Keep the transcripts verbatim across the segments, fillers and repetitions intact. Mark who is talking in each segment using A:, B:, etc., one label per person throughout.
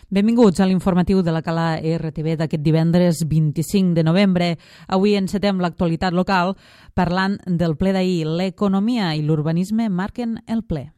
A: Benvinguts a l'informatiu de la Cala R T V d'aquest divendres vint-i-cinc de novembre. Avui encetem l'actualitat local parlant del ple d'ahir. L'economia i l'urbanisme marquen el ple.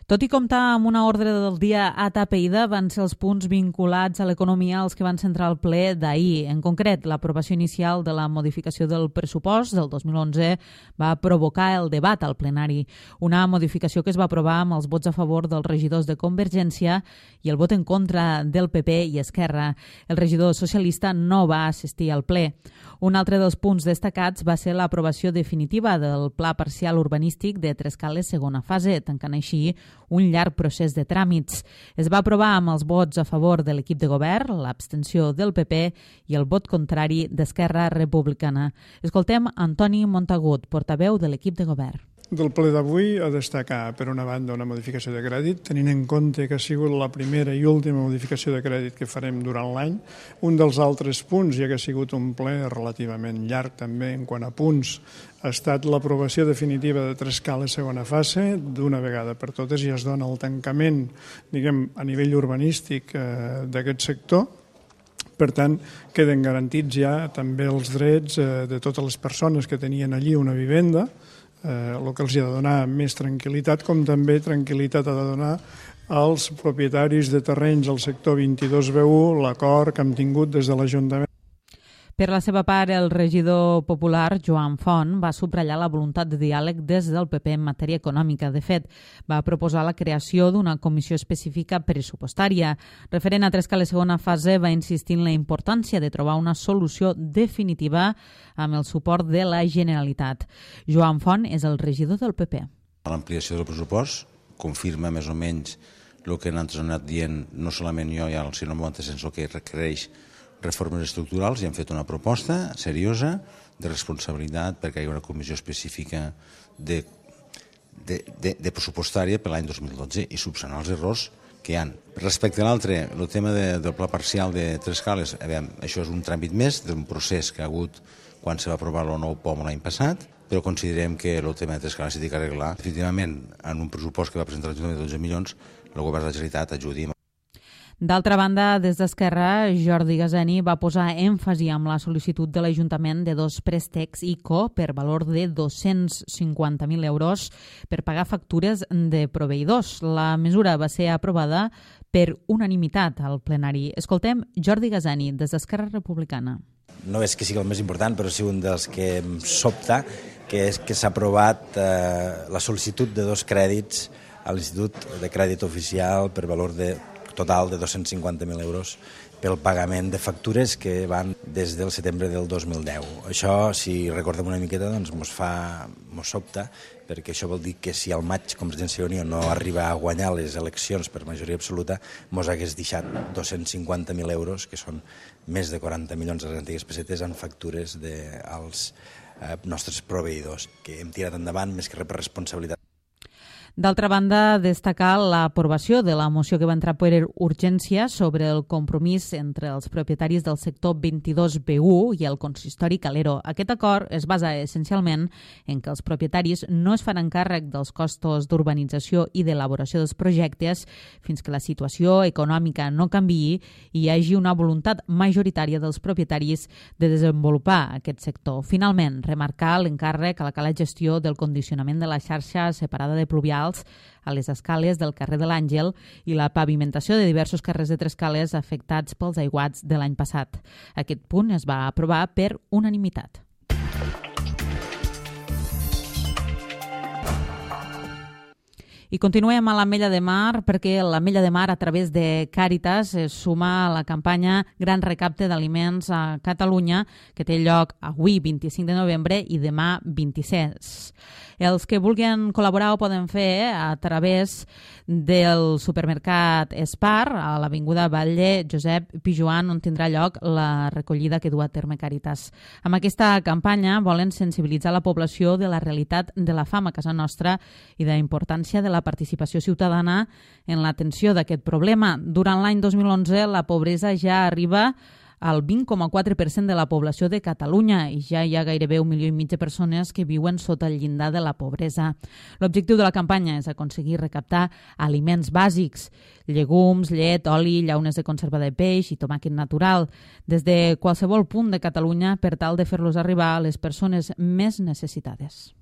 A: Tot i comptar amb una ordre del dia atapeïda, van ser els punts vinculats a l'economia els que van centrar el ple d'ahir. En concret, l'aprovació inicial de la modificació del pressupost del dos mil onze va provocar el debat al plenari. Una modificació que es va aprovar amb els vots a favor dels regidors de Convergència i el vot en contra del P P i Esquerra. El regidor socialista no va assistir al ple. Un altre dels punts destacats va ser l'aprovació definitiva del Pla Parcial Urbanístic de Trescales segona fase, tancant així un llarg procés de tràmits. Es va aprovar amb els vots a favor de l'equip de govern, l'abstenció del P P i el vot contrari d'Esquerra Republicana. Escoltem Antoni Montagut, portaveu de l'equip de govern.
B: Del ple d'avui a destacar, per una banda, una modificació de crèdit, tenint en compte que ha sigut la primera i última modificació de crèdit que farem durant l'any. Un dels altres punts, ja que ha sigut un ple relativament llarg també en quant a punts, ha estat l'aprovació definitiva de Trescales segona fase. D'una vegada per totes ja es dona el tancament, diguem, a nivell urbanístic eh, d'aquest sector. Per tant, queden garantits ja també els drets eh, de totes les persones que tenien allí una vivenda, Eh, el que els ha de donar més tranquil·litat, com també tranquil·litat ha de donar als propietaris de terrenys al sector vint-i-dos B u, l'acord que hem tingut des de l'Ajuntament.
A: Per la seva part, el regidor popular, Joan Font, va subratllar la voluntat de diàleg des del P P en matèria econòmica. De fet, va proposar la creació d'una comissió específica pressupostària. Referent a Trescales segona fase, va insistir en la importància de trobar una solució definitiva amb el suport de la Generalitat. Joan Font és el regidor del P P.
C: L'ampliació del pressupost confirma més o menys el que nosaltres hem anat dient, no solament jo, sinó molt sens el que requereix reformes estructurals, i hem fet una proposta seriosa de responsabilitat perquè hi ha una comissió específica de, de, de, de pressupostària per l'any dos mil dotze i subsanar els errors que hi ha. Respecte a l'altre, el tema de, del pla parcial de Trescales, veure, això és un tràmit més d'un procés que ha hagut quan se va aprovar el nou P O M l'any passat, però considerem que el tema de Trescales s'ha d'arreglar. Definitivament, en un pressupost que va presentar l'Ajuntament de dotze milions, el govern de la Generalitat ajudi.
A: D'altra banda, des d'Esquerra, Jordi Gaseni va posar èmfasi amb la sol·licitud de l'Ajuntament de dos préstecs I C O per valor de dos-cents cinquanta mil euros per pagar factures de proveïdors. La mesura va ser aprovada per unanimitat al plenari. Escoltem Jordi Gaseni, des d'Esquerra Republicana.
D: No és que sigui el més important, però sí un dels que em sobta, que és que s'ha aprovat eh, la sol·licitud de dos crèdits a l'Institut de Crèdit Oficial per valor de total de dos-cents cinquanta mil euros pel pagament de factures que van des del setembre del dos mil deu. Això, si recordem una miqueta, doncs mos fa, mos sobta, perquè això vol dir que si al maig Convergència i Unió no arriba a guanyar les eleccions per majoria absoluta, mos hagués deixat dos-cents cinquanta mil euros, que són més de quaranta milions de les antigues pessetes, en factures dels eh, nostres proveïdors, que hem tirat endavant més que res per responsabilitat.
A: D'altra banda, destacar l'aprovació de la moció que va entrar per urgència sobre el compromís entre els propietaris del sector vint-i-dos B u i el consistori Calero. Aquest acord es basa essencialment en que els propietaris no es faran càrrec dels costos d'urbanització i d'elaboració dels projectes fins que la situació econòmica no canviï i hi hagi una voluntat majoritària dels propietaris de desenvolupar aquest sector. Finalment, remarcar l'encàrrec a la cala gestió del condicionament de la xarxa separada de pluvials a les escales del carrer de l'Àngel i la pavimentació de diversos carrers de Trescales afectats pels aiguats de l'any passat. Aquest punt es va aprovar per unanimitat. I continuem a l'Ametlla de Mar perquè l'Ametlla de Mar a través de Càritas es suma a la campanya Gran Recapte d'Aliments a Catalunya que té lloc avui vint-i-cinc de novembre i demà vint-i-sis. Els que vulguin col·laborar ho poden fer a través del supermercat Espar a l'avinguda Batlle Josep Pijoan, on tindrà lloc la recollida que du a terme Càritas. Amb aquesta campanya volen sensibilitzar la població de la realitat de la fam a casa nostra i de la importància de la participació ciutadana en l'atenció d'aquest problema. Durant l'any dos mil onze la pobresa ja arriba al vint coma quatre per cent de la població de Catalunya i ja hi ha gairebé un milió i mig de persones que viuen sota el llindar de la pobresa. L'objectiu de la campanya és aconseguir recaptar aliments bàsics, llegums, llet, oli, llaunes de conserva de peix i tomàquet natural, des de qualsevol punt de Catalunya per tal de fer-los arribar a les persones més necessitades.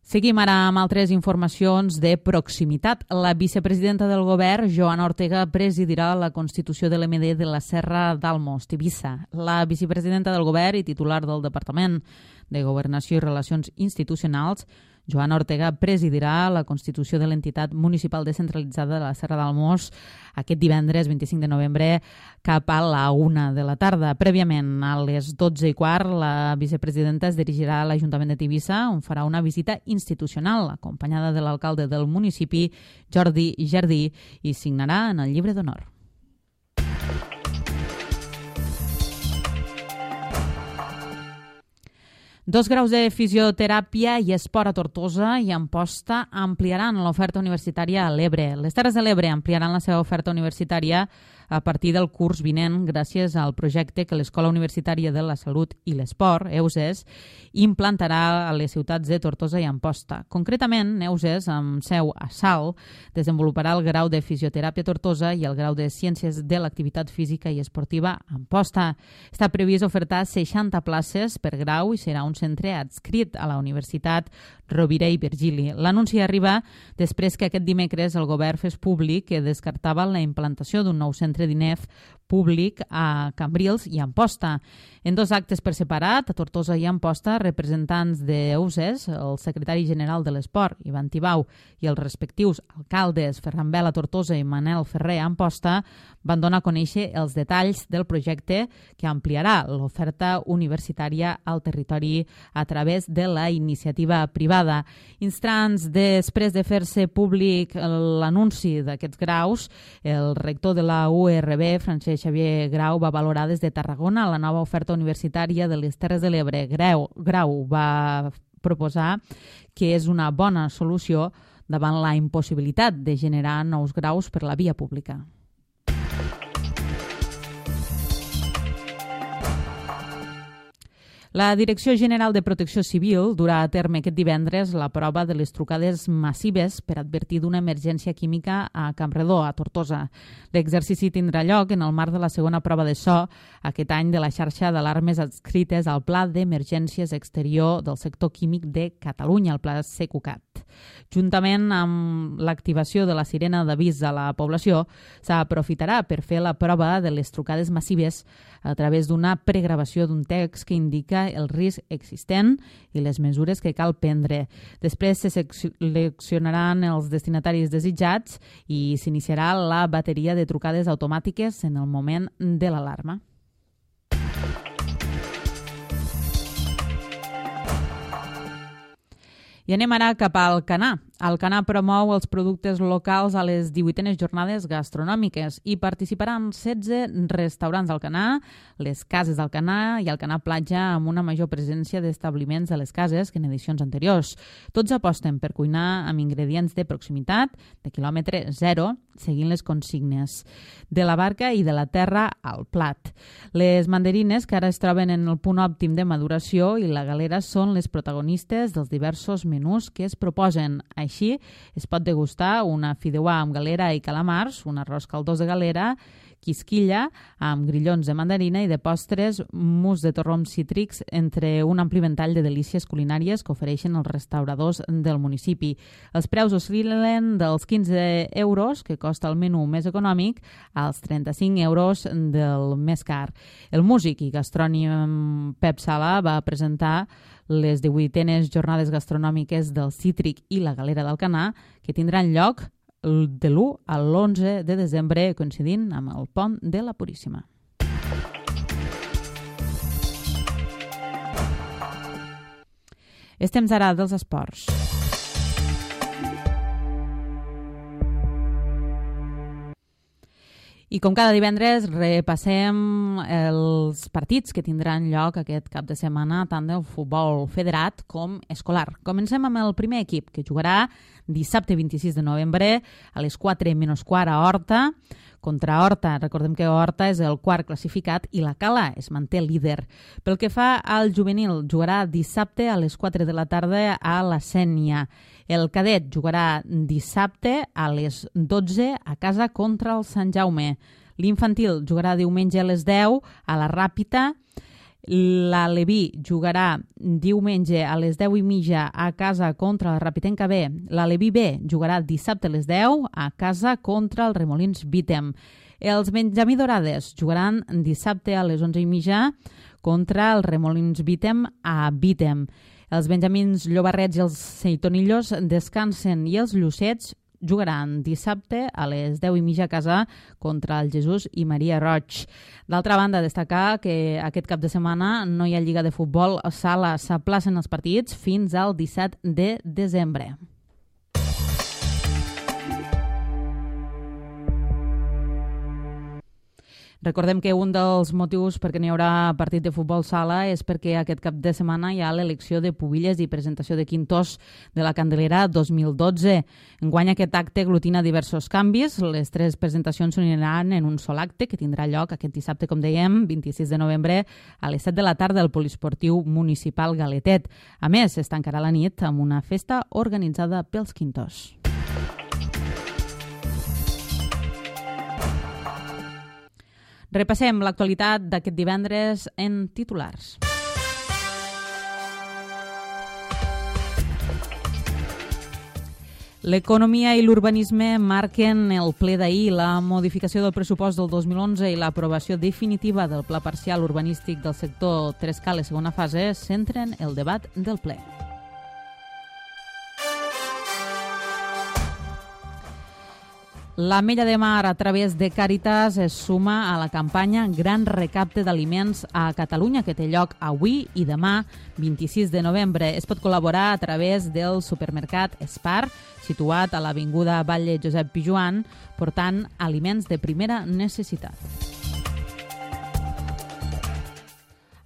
A: Seguim ara amb altres informacions de proximitat. La vicepresidenta del govern, Joana Ortega, presidirà la constitució de l'M D de la Serra d'Almos, Tivissa. La vicepresidenta del govern i titular del Departament de Governació i Relacions Institucionals, Joana Ortega, presidirà la constitució de l'entitat municipal descentralitzada de la Serra d'Almos aquest divendres vint-i-cinc de novembre cap a la una de la tarda. Prèviament, a les dotze i quart, la vicepresidenta es dirigirà a l'Ajuntament de Tivissa, on farà una visita institucional, acompanyada de l'alcalde del municipi, Jordi Jardí, i signarà en el llibre d'honor. Dos graus de fisioteràpia i esport a Tortosa i Amposta ampliaran l'oferta universitària a l'Ebre. Les Terres de l'Ebre ampliaran la seva oferta universitària a partir del curs vinent gràcies al projecte que l'Escola Universitària de la Salut i l'Esport, E U S E S, implantarà a les ciutats de Tortosa i Amposta. Concretament, E U S E S, amb seu a Salt, desenvoluparà el grau de fisioteràpia a Tortosa i el grau de ciències de l'activitat física i esportiva a Amposta. Està previst ofertar seixanta places per grau i serà un centre adscrit a la Universitat Rovira i Virgili. L'anunci arriba després que aquest dimecres el govern fes públic que descartava la implantació d'un nou centre d'I N E F públic a Cambrils i Amposta. En dos actes per separat, a Tortosa i Amposta, representants de E U S E S, el secretari general de l'Esport, Ivan Tibau, i els respectius alcaldes Ferran Bel a Tortosa i Manel Ferrer a Amposta, van donar a conèixer els detalls del projecte que ampliarà l'oferta universitària al territori a través de la iniciativa privada. Instants després de fer-se públic l'anunci d'aquests graus, el rector de la U R B, Francesc Xavier Grau, va valorar des de Tarragona la nova oferta universitària de les Terres de l'Ebre. Grau, Grau va proposar que és una bona solució davant la impossibilitat de generar nous graus per la via pública. La Direcció General de Protecció Civil durà a terme aquest divendres la prova de les trucades massives per advertir d'una emergència química a Campredó, a Tortosa. L'exercici tindrà lloc en el marc de la segona prova de so aquest any de la xarxa d'alarmes adscrites al Pla d'Emergències Exterior del Sector Químic de Catalunya, el Pla Secucat. Juntament amb l'activació de la sirena d'avís a la població, s'aprofitarà per fer la prova de les trucades massives a través d'una pregravació d'un text que indica el risc existent i les mesures que cal prendre. Després se seleccionaran els destinataris desitjats i s'iniciarà la bateria de trucades automàtiques en el moment de l'alarma. I anem ara cap al Alcanar. Alcanar promou els productes locals a les divuitenes jornades gastronòmiques i participaran setze restaurants d'Alcanar, les cases d'Alcanar i Alcanar Platja amb una major presència d'establiments de les cases que en edicions anteriors. Tots aposten per cuinar amb ingredients de proximitat, de quilòmetre zero, seguint les consignes de la barca i de la terra al plat. Les mandarines, que ara es troben en el punt òptim de maduració, i la galera són les protagonistes dels diversos menús que es proposen. Així, es pot degustar una fideuà amb galera i calamars, un arròs caldós de galera, quisquilla amb grillons de mandarina i de postres mus de torrons cítrics, entre un ampli ventall de delícies culinàries que ofereixen els restauradors del municipi. Els preus oscil·len dels quinze euros, que costa el menú més econòmic, als trenta-cinc euros del més car. El músic i gastrònim Pep Sala va presentar les divuitenes jornades gastronòmiques del Cítric i la Galera d'Alcanar, que tindran lloc de l'u al l'onze de desembre, coincidint amb el Pont de la Puríssima. És temps ara dels esports. I com cada divendres repassem els partits que tindran lloc aquest cap de setmana tant del futbol federat com escolar. Comencem amb el primer equip que jugarà dissabte vint-i-sis de novembre a les quatre menys quart a Horta contra Horta. Recordem que Horta és el quart classificat i la Cala es manté líder. Pel que fa al juvenil, jugarà dissabte a les quatre de la tarda a la Sénia. El cadet jugarà dissabte a les dotze a casa contra el Sant Jaume. L'infantil jugarà diumenge a les deu a la Ràpita. L'Aleví jugarà diumenge a les deu i mitja a casa contra la Ràpitenca B. L'Aleví B jugarà dissabte a les deu a casa contra el Remolins Vítem. Els Benjamí Dorades jugaran dissabte a les onze i mitja contra el Remolins Vítem a Vítem. Els Benjamins Llobarrets i els Seitonillos descansen i els Llucets jugaran dissabte a les deu i mitja a casa contra el Jesús i Maria Roig. D'altra banda, destacar que aquest cap de setmana no hi ha lliga de futbol a sala. S'aplacen els partits fins al disset de desembre. Recordem que un dels motius perquè n'hi haurà partit de futbol sala és perquè aquest cap de setmana hi ha l'elecció de pubilles i presentació de quintors de la Candelera dos mil dotze. Enguany aquest acte aglutina diversos canvis. Les tres presentacions s'uniran en un sol acte que tindrà lloc aquest dissabte, com dèiem, vint-i-sis de novembre a les set de la tarda al Poliesportiu Municipal Galetet. A més, es tancarà la nit amb una festa organitzada pels quintors. Repassem l'actualitat d'aquest divendres en titulars. L'economia i l'urbanisme marquen el ple d'ahir. La modificació del pressupost del dos mil onze i l'aprovació definitiva del pla parcial urbanístic del sector Trescales segona fase centren el debat del ple. L'Ametlla de Mar, a través de Càritas, es suma a la campanya Gran Recapte d'Aliments a Catalunya, que té lloc avui i demà, vint-i-sis de novembre. Es pot col·laborar a través del supermercat Espar, situat a l'Avinguda Batlle Josep Pijoan, portant aliments de primera necessitat.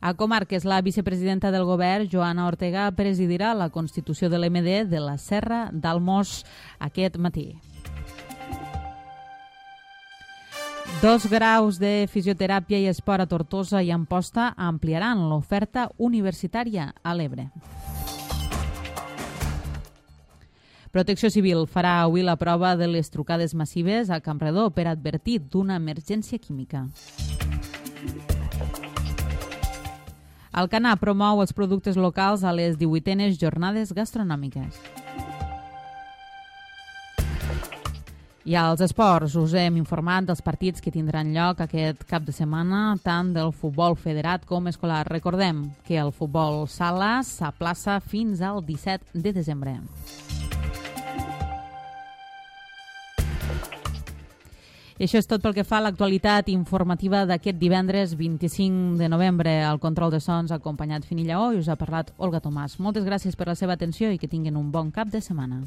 A: A Comarques, la vicepresidenta del govern, Joana Ortega, presidirà la constitució de l'M D de la Serra d'Almos aquest matí. Dos graus de fisioteràpia i esport a Tortosa i Amposta ampliaran l'oferta universitària a l'Ebre. Protecció Civil farà avui la prova de les trucades massives a Campredó per advertir d'una emergència química. Alcanar promou els productes locals a les divuitenes jornades gastronòmiques. I als esports us hem informat dels partits que tindran lloc aquest cap de setmana, tant del futbol federat com escolar. Recordem que el futbol sala s'aplaça fins al disset de desembre. I això és tot pel que fa a l'actualitat informativa d'aquest divendres vint-i-cinc de novembre. Al control de sons ha acompanyat Fini Lleó i us ha parlat Olga Tomàs. Moltes gràcies per la seva atenció i que tinguin un bon cap de setmana.